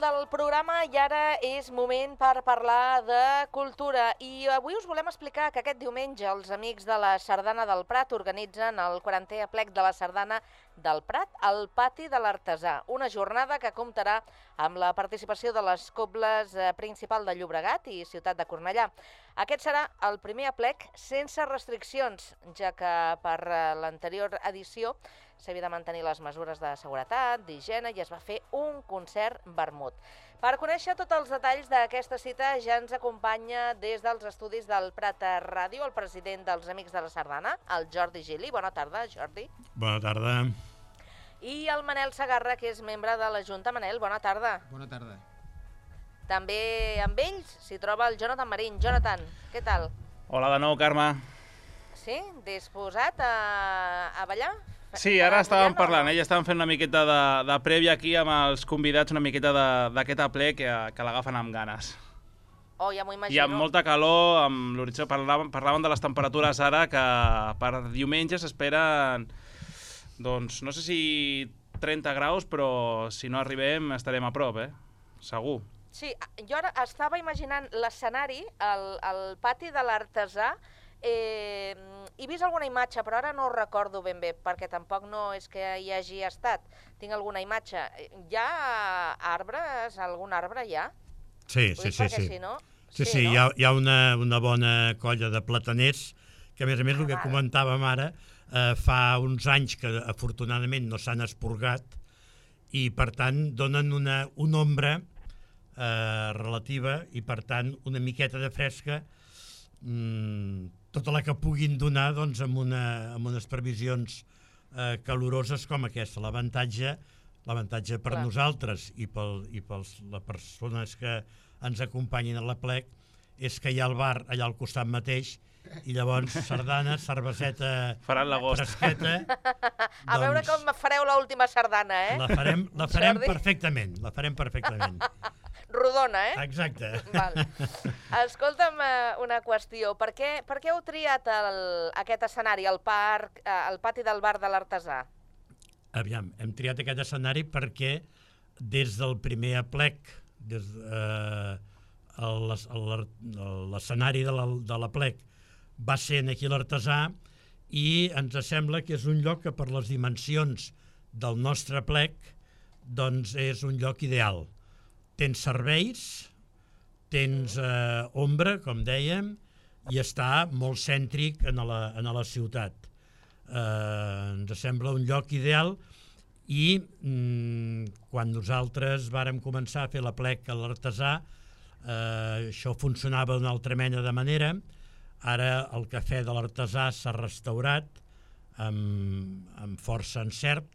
del programa i ara és moment per parlar de cultura. I avui us volem explicar que aquest diumenge els amics de la Sardana del Prat organitzen el 40è aplec de la Sardana del Prat al Pati de l'Artesà, una jornada que comptarà amb la participació de les cobles Principal de Llobregat i Ciutat de Cornellà. Aquest serà el primer aplec sense restriccions, ja que per l'anterior edició s'havia de mantenir les mesures de seguretat, d'higiene i es va fer un concert vermut. Per conèixer tots els detalls d'aquesta cita ja ens acompanya des dels estudis del Prat Ràdio el president dels Amics de la Sardana, el Jordi Gili. Bona tarda, Jordi. Bona tarda. I el Manel Segarra, que és membre de la Junta. Manel, bona tarda. Bona tarda. També amb ells s'hi troba el Jonathan Marín. Jonathan, què tal? Hola de nou, Carme. Sí? Disposat a ballar? Sí, ara estàvem parlant, ja estàvem fent una miqueta de prèvia aquí amb els convidats, una miqueta d'aquest aplec que l'agafen amb ganes. Oh, ja m'ho imagino. I amb molta calor, amb l'horitzó, parlàvem de les temperatures ara, que per diumenge s'esperen, doncs, no sé si 30 graus, però si no arribem estarem a prop, segur. Sí, jo ara estava imaginant l'escenari, el pati de l'Artesà. He vist alguna imatge, però ara no ho recordo ben bé, perquè tampoc no és que hi hagi estat. Tinc alguna imatge. Hi ha arbres? Algun arbre hi ha? Sí. Si no... Sí, no? Hi ha una bona colla de plataners, que a més el que comentàvem ara, fa uns anys que afortunadament no s'han esporgat i per tant donen una ombra relativa i per tant una miqueta de fresca, tota la que puguin donar doncs, amb unes previsions caloroses com aquesta. L'avantatge per nosaltres i per les persones que ens acompanyin a l'aplec és que hi ha el bar allà al costat mateix i llavors sardana, cerveseta fresqueta. A veure com fareu l'última sardana, La farem perfectament, Rodona, Exacte. Val. Escolta'm una qüestió. Per què heu triat aquest escenari, el pati del bar de l'Artesà? Aviam, hem triat aquest escenari perquè des del primer aplec, l'escenari de l'aplec va ser aquí a l'Artesà i ens sembla que és un lloc que per les dimensions del nostre aplec doncs és un lloc ideal. Tens serveis, tens ombra, com dèiem, i està molt cèntric en la ciutat. Ens sembla un lloc ideal i quan nosaltres vàrem començar a fer l'aplec a l'Artesà, això funcionava d'una altra mena de manera. Ara el cafè de l'Artesà s'ha restaurat amb força encert,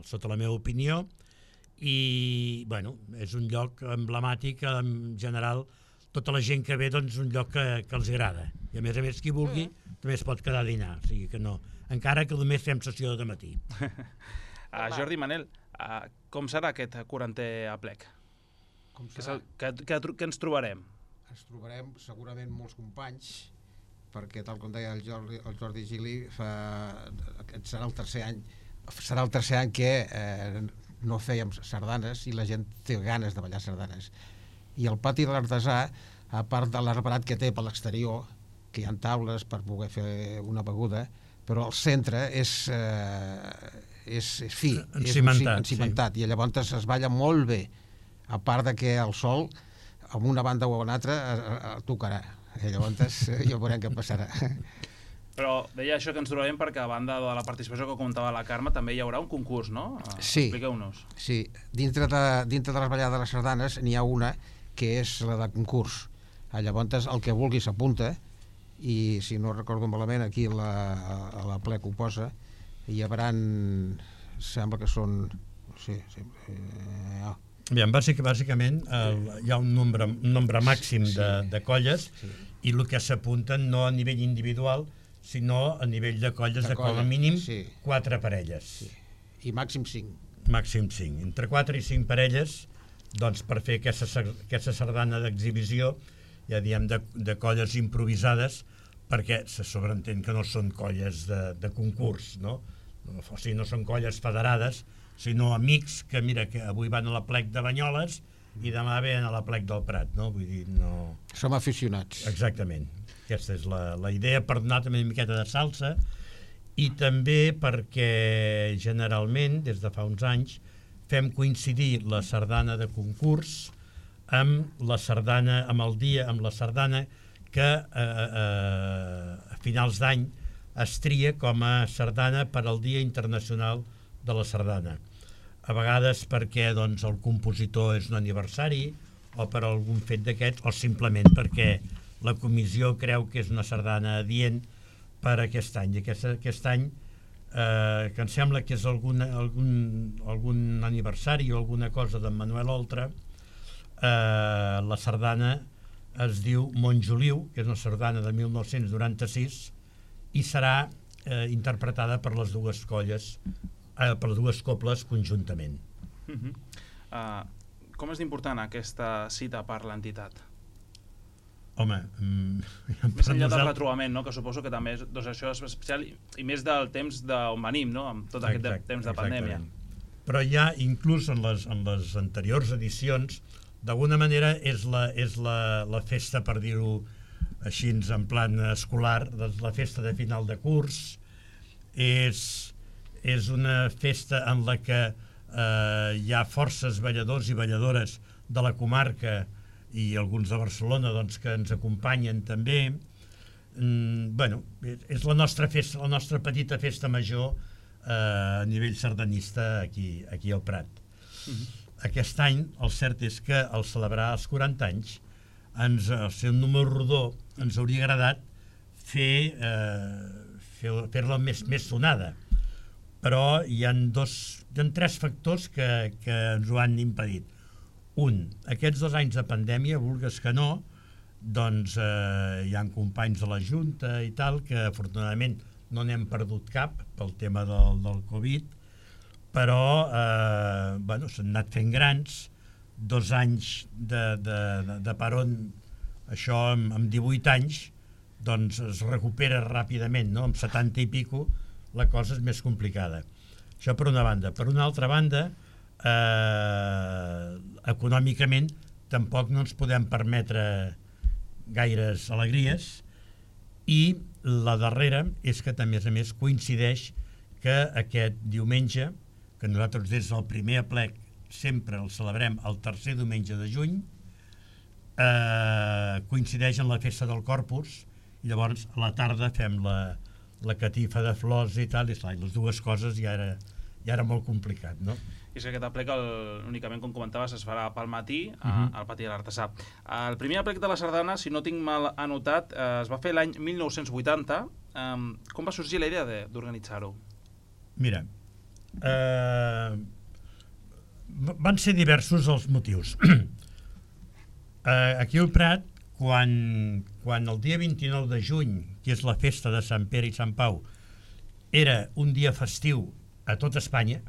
sota la meva opinió, i bueno, és un lloc emblemàtic, en general tota la gent que ve doncs un lloc que els agrada i a més qui vulgui també es pot quedar a dinar, o sigui que no, encara que només fem sessió de matí. Jordi, Manel, com serà aquest 40è aplec? Què ens trobarem? Ens trobarem segurament molts companys, perquè tal com deia el Jordi Gili, serà el tercer any que no fèiem sardanes i la gent té ganes de ballar sardanes. I el pati de l'Artesà, a part de l'arbrat que té per l'exterior, que hi ha taules per poder fer una beguda, però el centre és fi, encimentat, i llavors es balla molt bé, a part de que el sol, amb una banda o una altra, tocarà. I llavors ja veurem què passarà. Però deia això que ens trobem perquè a banda de la participació que comentava la Carme també hi haurà un concurs, no? Sí. Expliqueu-nos. Sí, dintre de les ballades de les sardanes n'hi ha una que és la de concurs. Llavors el que vulgui s'apunta i si no recordo malament aquí a la plec ho posa, hi haurà, sembla que són... Bàsicament hi ha un nombre màxim de colles i el que s'apunten no a nivell individual sinó a nivell de colles de com a mínim 4 parelles. Sí. I màxim 5. Màxim 5. Entre 4 i 5 parelles, doncs per fer aquesta sardana d'exhibició, ja diem de colles improvisades, perquè se sobreentén que no són colles de concurs, no? O sigui, no són colles federades, sinó amics que, mira, que avui van a l'aplec de Banyoles, i demà ven a la Plec del Prat, no? Vull dir, no... Som aficionats. Exactament. Aquesta és la idea, per donar també una miqueta de salsa, i també perquè generalment, des de fa uns anys, fem coincidir la sardana de concurs amb la sardana, amb el dia, amb la sardana que a finals d'any es tria com a sardana per al Dia Internacional de la Sardana. A vegades perquè doncs, el compositor és un aniversari o per algun fet d'aquests, o simplement perquè la comissió creu que és una sardana adient per aquest any. I aquest any, que em sembla que és algun aniversari o alguna cosa d'en Manuel Oltra, la sardana es diu Montjoliu, que és una sardana de 1996, i serà interpretada per les dues colles, per les dues cobles conjuntament. Com és d'important aquesta cita per l'entitat? Home, més enllà del retrobament, no? Que suposo que també doncs això és especial i més del temps d'on venim, no? Amb tot aquest temps de pandèmia. Però ja inclús en les anteriors edicions, d'alguna manera és la festa, per dir-ho així en plan escolar, la festa de final de curs, és una festa en la que hi ha forces balladors i balladores de la comarca i alguns de Barcelona doncs, que ens acompanyen també. Bueno, és la nostra festa, la nostra petita festa major a nivell sardanista aquí al Prat. Aquest any el cert és que al celebrar els 40 anys, al ser un número rodó, ens hauria agradat fer-la més sonada, però hi ha tres factors que ens ho han impedit. Un, aquests 2 anys de pandèmia, vulgues que no, doncs hi ha companys de la Junta i tal, que afortunadament no n'hem perdut cap pel tema del Covid, però bueno, s'han anat fent grans, 2 anys de peron, això amb 18 anys, doncs es recupera ràpidament, no? Amb 70 i pico la cosa és més complicada. Això per una banda. Per una altra banda, econòmicament tampoc no ens podem permetre gaires alegries, i la darrera és que també a més coincideix que aquest diumenge, que nosaltres des del primer aplec sempre el celebrem el tercer diumenge de juny, coincideix en la festa del Corpus, i llavors a la tarda fem la catifa de flors i tal, i les dues coses ja era molt complicat, no? I és que aquest aplec, únicament com comentaves, es farà pel matí al pati de l'Artesà. El primer aplec de la sardana, si no tinc mal anotat, es va fer l'any 1980. Com va sorgir la idea d'organitzar-ho? Mira, van ser diversos els motius. Aquí al Prat, quan el dia 29 de juny, que és la festa de Sant Pere i Sant Pau, era un dia festiu a tot Espanya,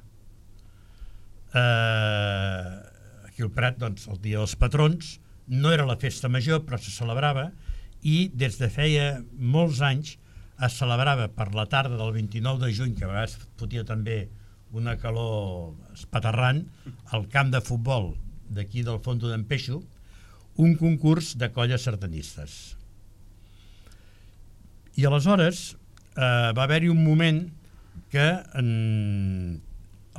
aquí al Prat, doncs, el dia dels patrons, no era la festa major, però se celebrava, i des de feia molts anys es celebrava per la tarda del 29 de juny, que a vegades fotia també una calor espaterrant, al camp de futbol d'aquí del Fondo d'en Peixo, un concurs de colles sardanistes. I aleshores va haver-hi un moment que a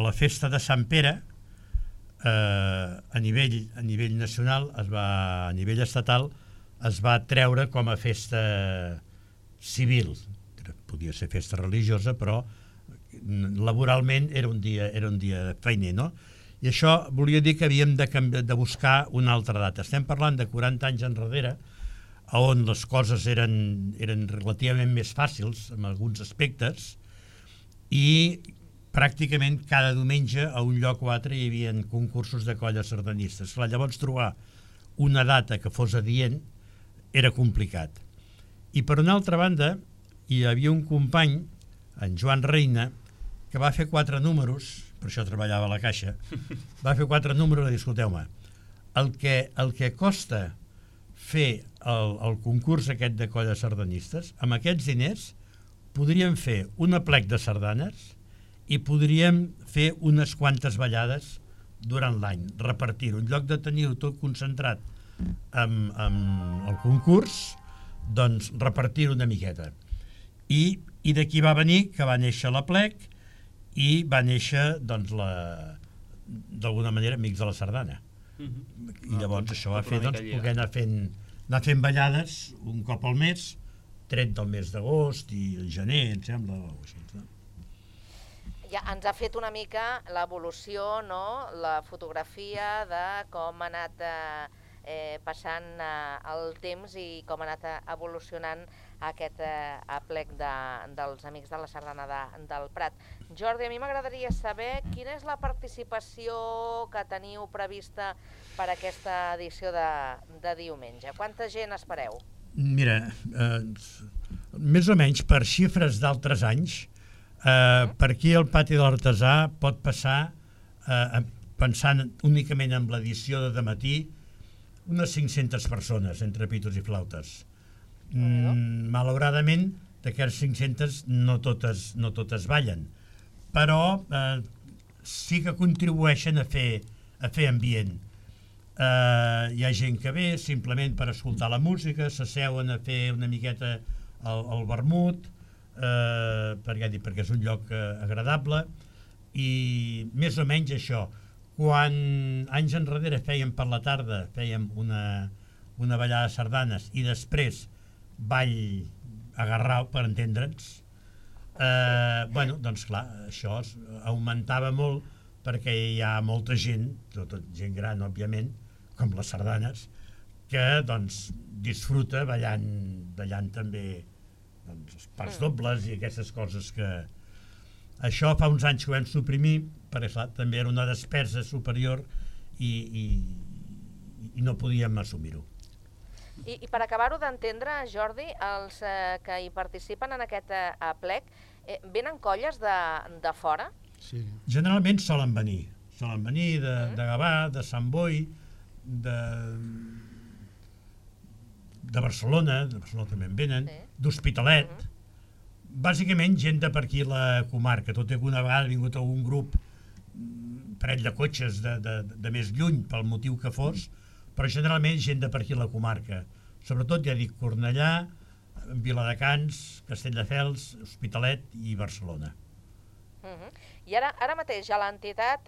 la festa de Sant Pere, a nivell nacional, a nivell estatal, es va treure com a festa civil. Podia ser festa religiosa, però laboralment era un dia feiner, no? I això volia dir que havíem de buscar una altra data. Estem parlant de 40 anys enrere, on les coses eren relativament més fàcils en alguns aspectes, i pràcticament cada diumenge a un lloc o altre hi havia concursos de colles sardanistes. Llavors trobar una data que fos adient era complicat. I per una altra banda hi havia un company, en Joan Reina, que va fer 4 números, per això treballava a la Caixa, va fer 4 números i dir, escolteu-me, el que costa fer el concurs aquest de colles sardanistes, amb aquests diners podríem fer un aplec de sardanes i podríem fer unes quantes ballades durant l'any, repartir-ho. En lloc de tenir-ho tot concentrat amb el concurs, doncs repartir-ho una miqueta. I d'aquí va venir que va néixer l'Aplec i va néixer, doncs, d'alguna manera, Amics de la Sardana. I llavors això va fer, doncs, poder anar fent ballades un cop al mes, tret del mes d'agost i el gener, em sembla, o així, no? Ja ens ha fet una mica l'evolució, no? La fotografia de com ha anat passant el temps i com ha anat evolucionant aquest aplec dels Amics de la Sardana del Prat. Jordi, a mi m'agradaria saber quina és la participació que teniu prevista per aquesta edició de diumenge. Quanta gent espereu? Mira, més o menys per xifres d'altres anys, per aquí al pati de l'Artesà pot passar, pensant únicament en l'edició de dematí, unes 500 persones entre pitos i flautes. Malauradament, d'aquestes 500 no totes ballen, però sí que contribueixen a fer ambient. Hi ha gent que ve simplement per escoltar la música, s'asseuen a fer una miqueta el vermut, perquè és un lloc agradable, i més o menys això. Quan anys enrere fèiem per la tarda, fèiem una ballada de sardanes i després ball agarrau, per entendre'ns, doncs clar, això augmentava molt perquè hi ha molta gent, tot gent gran, òbviament, com les sardanes, que doncs disfruta ballant també els parts dobles i aquestes coses que... Això fa uns anys que ho vam suprimir, perquè clar, també era una despesa superior i no podíem assumir-ho. I per acabar-ho d'entendre, Jordi, els que hi participen en aquest aplec, venen colles de fora? Sí. Generalment solen venir de Gavà, de Sant Boi, de Barcelona també en venen, d'Hospitalet, bàsicament gent de per aquí la comarca, tot i que una vegada ha vingut algun grup, parell de cotxes de més lluny, pel motiu que fos, però generalment gent de per aquí la comarca, sobretot, ja dic, Cornellà, Viladecans, Castelldefels, Hospitalet i Barcelona. I ara mateix, a l'entitat,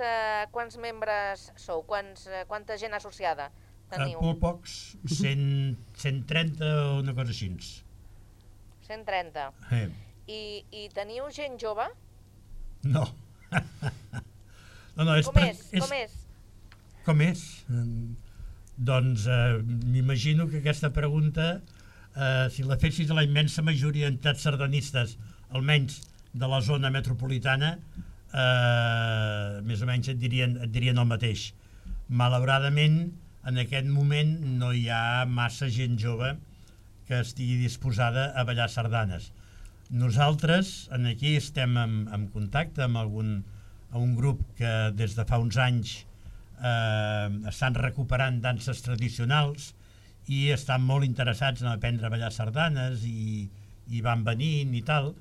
quants membres sou? Quanta gent associada teniu? Molt pocs, 130 o una cosa així. 130. I teniu gent jove? No. Com és? Doncs m'imagino que aquesta pregunta, si la fessis a la immensa majoria d'entitats sardanistes, almenys de la zona metropolitana, més o menys et dirien el mateix. Malauradament, en aquest moment no hi ha massa gent jove que estigui disposada a ballar sardanes. Nosaltres aquí estem en contacte amb un grup que des de fa uns anys estan recuperant danses tradicionals i estan molt interessats en aprendre a ballar sardanes i van venint i tal,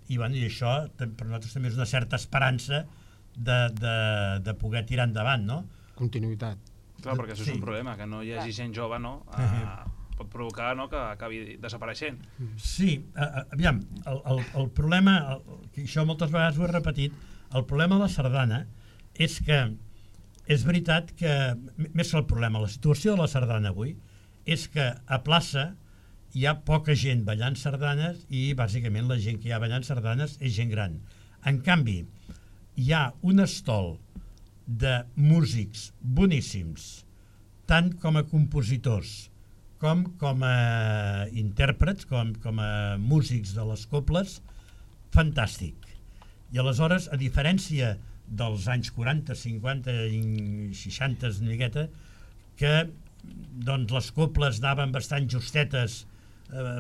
i això per nosaltres també és una certa esperança de poder tirar endavant, no? Continuïtat. Clar, perquè això és un problema, que no hi hagi gent jove, no? Pot provocar que acabi desapareixent. Sí, aviam, el problema, això moltes vegades ho he repetit, el problema de la sardana és que és veritat que, més que el problema, la situació de la sardana avui és que a plaça hi ha poca gent ballant sardanes i bàsicament la gent que hi ha ballant sardanes és gent gran. En canvi, hi ha un estol de músics boníssims, tant com a compositors com a intèrprets, com a músics de les cobles, fantàstic. I aleshores, a diferència dels anys 40, 50 i 60 una miqueta, que doncs, les coples anaven bastant justetes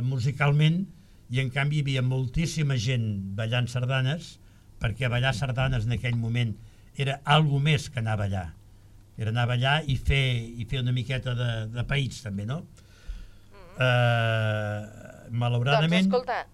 musicalment i en canvi hi havia moltíssima gent ballant sardanes, perquè ballar sardanes en aquell moment era algo més que anar a ballar. Era anar a ballar i fer una miqueta de país també, no? Malauradament... Doncs escolta,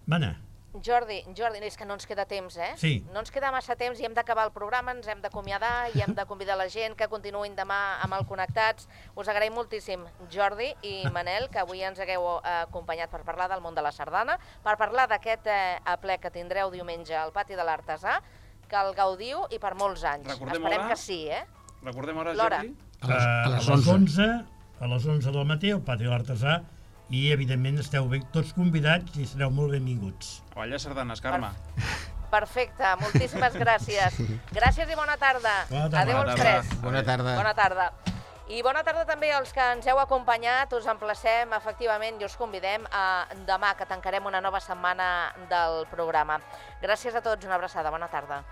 Jordi, és que no ens queda temps, Sí. No ens queda massa temps i hem d'acabar el programa, ens hem d'acomiadar i hem de convidar la gent que continuïn demà amb el Connectats. Us agraïm moltíssim, Jordi i Manel, que avui ens hagueu acompanyat per parlar del món de la sardana, per parlar d'aquest aplec que tindreu diumenge al Pati de l'Artesà, que el gaudiu i per molts anys. Recordem Esperem hora? que sí, Recordem hora, L'hora. Jordi? A les 11. A les 11 del matí al Pati de l'Artesà i, evidentment, esteu tots convidats i sereu molt benvinguts. A ballar sardanes, Carme. Perfecte, moltíssimes gràcies. Gràcies i bona tarda. Bona tarda. Adéu als tres. Bona tarda. Bona tarda. I bona tarda també als que ens heu acompanyat. Us emplacem, efectivament, i us convidem a demà, que tancarem una nova setmana del programa. Gràcies a tots, una abraçada. Bona tarda.